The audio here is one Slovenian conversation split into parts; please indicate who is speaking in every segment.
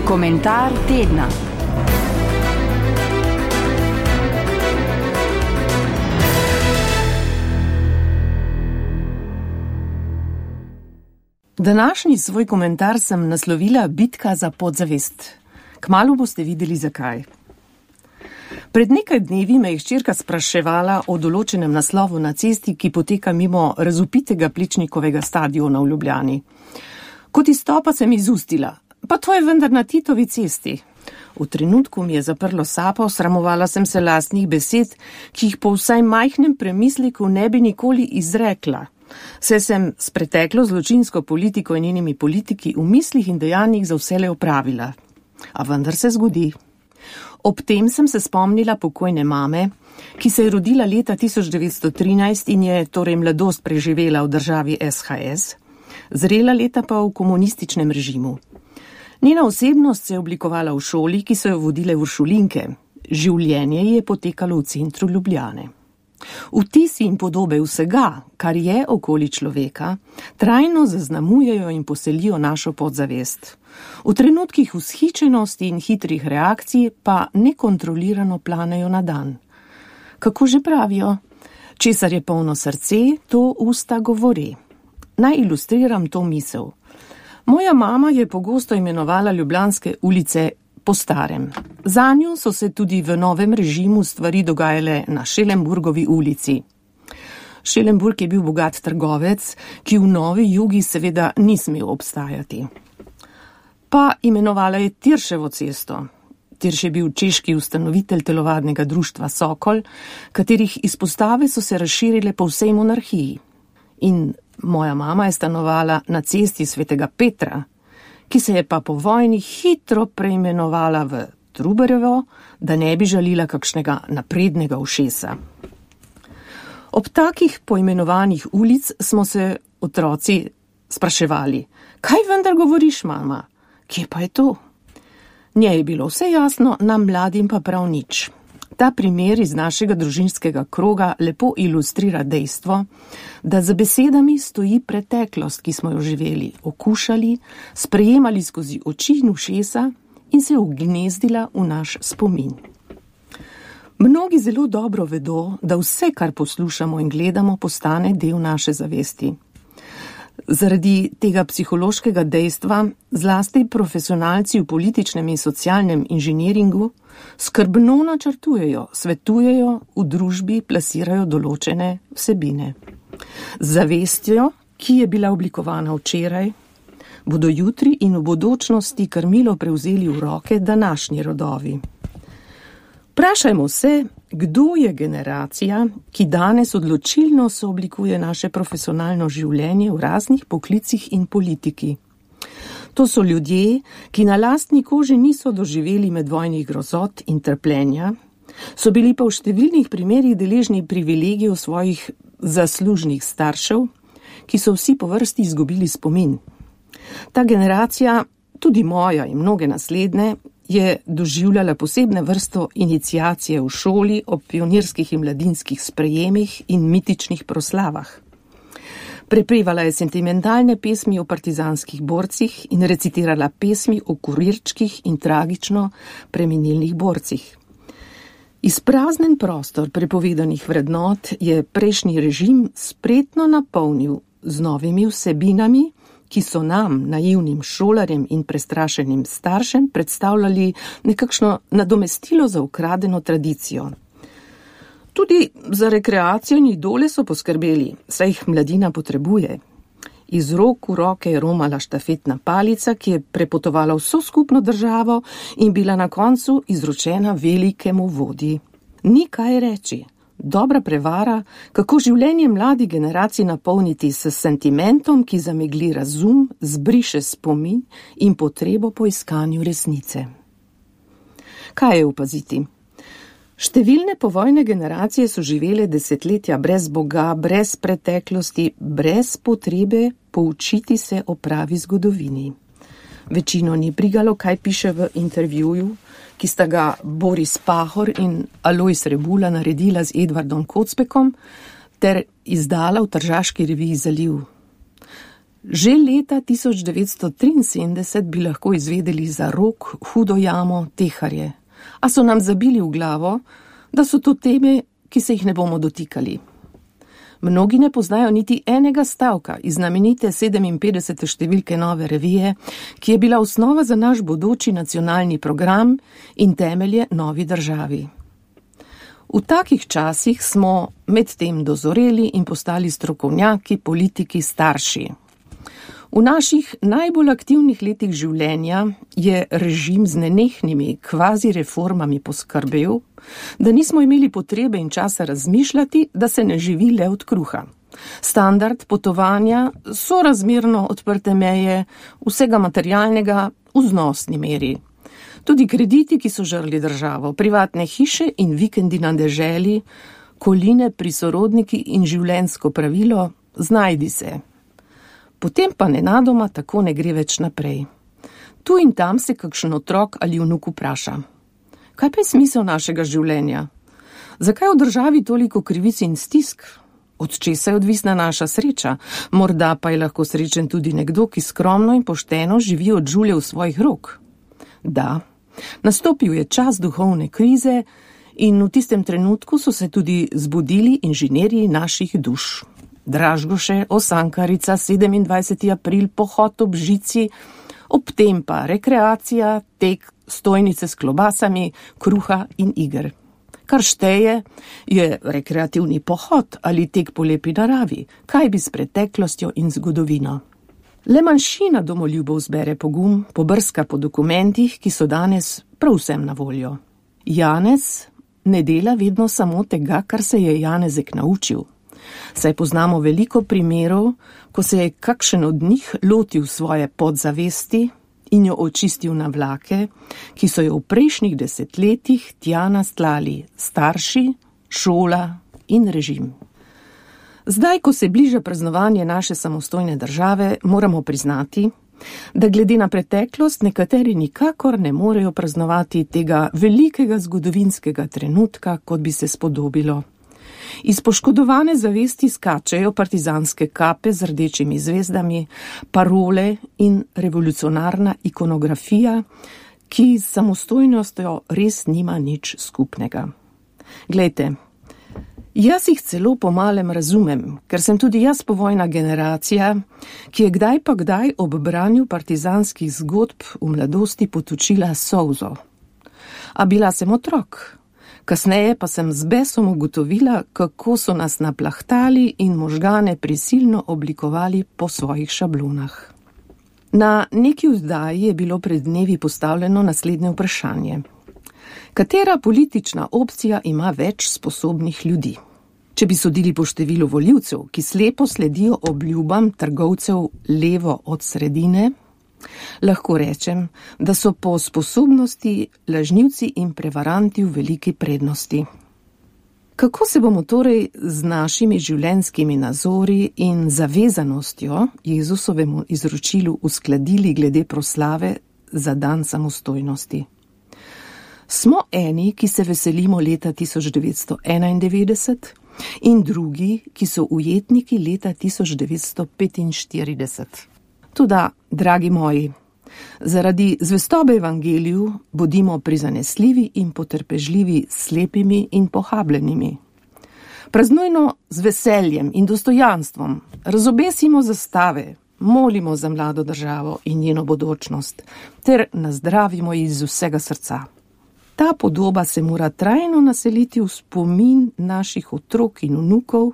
Speaker 1: Komentar tedna. Današnji svoj komentar sem naslovila Bitka za podzavest. Kmalu boste videli zakaj. Pred nekaj dnevi me je hčerka spraševala o določenem naslovu na cesti, ki poteka mimo razvpitega Plečnikovega stadiona v Ljubljani. Kot izstopa sem izustila, pa to je vendar na Titovi cesti. V trenutku mi je zaprlo sapo, sramovala sem se lastnih besed, ki jih po vsaj majhnem premisleku ne bi nikoli izrekla. Saj sem s preteklo zločinsko politiko in njenimi politiki v mislih in dejanjih za vselej opravila. A vendar se zgodi. Ob tem sem se spomnila pokojne mame, ki se je rodila leta 1913 in je torej mladost preživela v državi SHS, zrela leta pa v komunističnem režimu. Njena osebnost se je oblikovala v šoli, ki so jo vodile uršulinke. Življenje je potekalo v centru Ljubljane. Vtisi in podobe vsega, kar je okoli človeka, trajno zaznamujejo in poselijo našo podzavest. V trenutkih vzhičenosti in hitrih reakcij pa nekontrolirano planejo na dan. Kako že pravijo? Česar je polno srce, to usta govori. Naj ilustriram to misel. Moja mama je pogosto imenovala ljubljanske ulice po starem. Zanjo so se tudi v novem režimu stvari dogajale na Šelenburgovi ulici. Šelenburg je bil bogat trgovec, ki v novi Jugi seveda ni smel obstajati. Pa imenovala je Tirševo cesto. Tirš je bil češki ustanovitelj telovadnega društva Sokol, katerih izpostave so se razširile po vsej monarhiji. In moja mama je stanovala na cesti Svetega Petra, ki se je pa po vojni hitro preimenovala v Trubarjevo, da ne bi žalila kakšnega naprednega ušesa. Ob takih poimenovanih ulic smo se otroci spraševali, kaj vendar govoriš, mama? Kje pa je to? Njej je bilo vse jasno, nam mladim pa prav nič. Ta primer iz našega družinskega kroga lepo ilustrira dejstvo, da za besedami stoji preteklost, ki smo jo živeli, okušali, sprejemali skozi oči in ušesa in se ugnezdila v naš spomin. Mnogi zelo dobro vedo, da vse, kar poslušamo in gledamo, postane del naše zavesti. Zaradi tega psihološkega dejstva zlasti profesionalci v političnem in socialnem inženiringu skrbno načrtujejo, svetujejo, v družbi plasirajo določene vsebine. Z zavestjo, ki je bila oblikovana včeraj, bodo jutri in v bodočnosti krmilo prevzeli v roke današnji rodovi. Vprašajmo se, kdo je generacija, ki danes odločilno sooblikuje naše profesionalno življenje v raznih poklicih in politiki. To so ljudje, ki na lastni koži niso doživeli medvojnih grozot in trpljenja, so bili pa v številnih primerih deležni privilegijev svojih zaslužnih staršev, ki so vsi po vrsti izgubili spomin. Ta generacija, tudi moja in mnoge naslednje, je doživljala posebne vrsto iniciacije v šoli ob pionirskih in mladinskih sprejemih in mitičnih proslavah. Prepevala je sentimentalne pesmi o partizanskih borcih in recitirala pesmi o kurirčkih in tragično preminilnih borcih. Izpraznen prostor prepovedanih vrednot je prejšnji režim spretno napolnil z novimi vsebinami, ki so nam, naivnim šolarjem in prestrašenim staršem, predstavljali nekakšno nadomestilo za ukradeno tradicijo. Tudi za rekreacijo in idole so poskrbeli, saj jih mladina potrebuje. Iz rok v roke je romala štafetna palica, ki je prepotovala vso skupno državo in bila na koncu izročena velikemu vodji. Ni kaj reči. Dobra prevara, kako življenje mladi generaciji napolniti s sentimentom, ki zamegli razum, zbriše spomin in potrebo po iskanju resnice. Kaj je opaziti? Številne povojne generacije so živele desetletja brez Boga, brez preteklosti, brez potrebe poučiti se o pravi zgodovini. Večino ni brigalo, kaj piše v intervjuju, ki sta ga Boris Pahor in Alojz Rebula naredila z Edvardom Kocbekom ter izdala v tržaški reviji Zaliv. Že leta 1973 bi lahko izvedeli za Rog, Hudo jamo, Teharje, a so nam zabili v glavo, da so to teme, ki se jih ne bomo dotikali. Mnogi ne poznajo niti enega stavka iz znamenite 57. številke Nove revije, ki je bila osnova za naš bodoči nacionalni program in temelje novi državi. V takih časih smo medtem dozoreli in postali strokovnjaki, politiki, starši. V naših najbolj aktivnih letih življenja je režim z nenehnimi kvazi reformami poskrbel, da nismo imeli potrebe in časa razmišljati, da se ne živi le od kruha. Standard potovanja, sorazmerno odprte meje, vsega materialnega v znosni meri. Tudi krediti, ki so žrli državo, privatne hiše in vikendi na deželi, koline pri sorodniki in življenjsko pravilo, znajdi se. Potem pa nenadoma tako ne gre več naprej. Tu in tam se kakšen otrok ali vnuk vpraša. Kaj pa je smisel našega življenja? Zakaj v državi toliko krivic in stisk? Od česa je odvisna naša sreča? Morda pa je lahko srečen tudi nekdo, ki skromno in pošteno živi od žulje v svojih rok. Da, nastopil je čas duhovne krize in v tistem trenutku so se tudi zbudili inženirji naših duš. Dražgoše, Osankarica, 27. april, pohod ob žici, ob tem pa rekreacija, tek, stojnice s klobasami, kruha in iger. Kar šteje je rekreativni pohod ali tek po lepi naravi, kaj bi s preteklostjo in zgodovino. Le manjšina domoljubov zbere pogum, pobrska po dokumentih, ki so danes prav vsem na voljo. Janez ne dela vedno samo tega, kar se je Janezek naučil. Saj poznamo veliko primerov, ko se je kakšen od njih lotil svoje podzavesti in jo očistil na vlake, ki so jo v prejšnjih desetletjih tja nastlali starši, šola in režim. Zdaj, ko se bliža praznovanje naše samostojne države, moramo priznati, da glede na preteklost nekateri nikakor ne morejo praznovati tega velikega zgodovinskega trenutka, kot bi se spodobilo. Iz poškodovane zavesti skačejo partizanske kape z rdečimi zvezdami, parole in revolucionarna ikonografija, ki s samostojnostjo res nima nič skupnega. Glejte, jaz jih celo pomalem razumem, ker sem tudi jaz povojna generacija, ki je kdaj pa kdaj ob branju partizanskih zgodb v mladosti potočila solzo. A bila sem otrok. Kasneje pa sem z besom ugotovila, kako so nas naplahtali in možgane prisilno oblikovali po svojih šablonah. Na neki vzdaji je bilo pred dnevi postavljeno naslednje vprašanje. Katera politična opcija ima več sposobnih ljudi? Če bi sodili po številu volivcev, ki slepo sledijo obljubam trgovcev levo od sredine, lahko rečem, da so po sposobnosti lažnivci in prevaranti v veliki prednosti. Kako se bomo torej z našimi življenjskimi nazori in zavezanostjo Jezusovemu izročilu uskladili glede proslave za dan samostojnosti? Smo eni, ki se veselimo leta 1991 in drugi, ki so ujetniki leta 1945. Toda, dragi moji, zaradi zvestobe evangeliju bodimo prizanesljivi in potrpežljivi slepimi in pohabljenimi. Praznujno z veseljem in dostojanstvom razobesimo zastave, molimo za mlado državo in njeno bodočnost, ter nazdravimo iz vsega srca. Ta podoba se mora trajno naseliti v spomin naših otrok in vnukov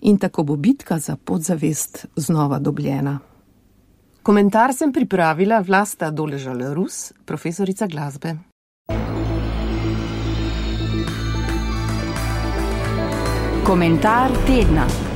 Speaker 1: in tako bo bitka za podzavest znova dobljena. Komentar sem pripravila Vlasta Doležal-Rus, profesorica glasbe.
Speaker 2: Komentar tedna.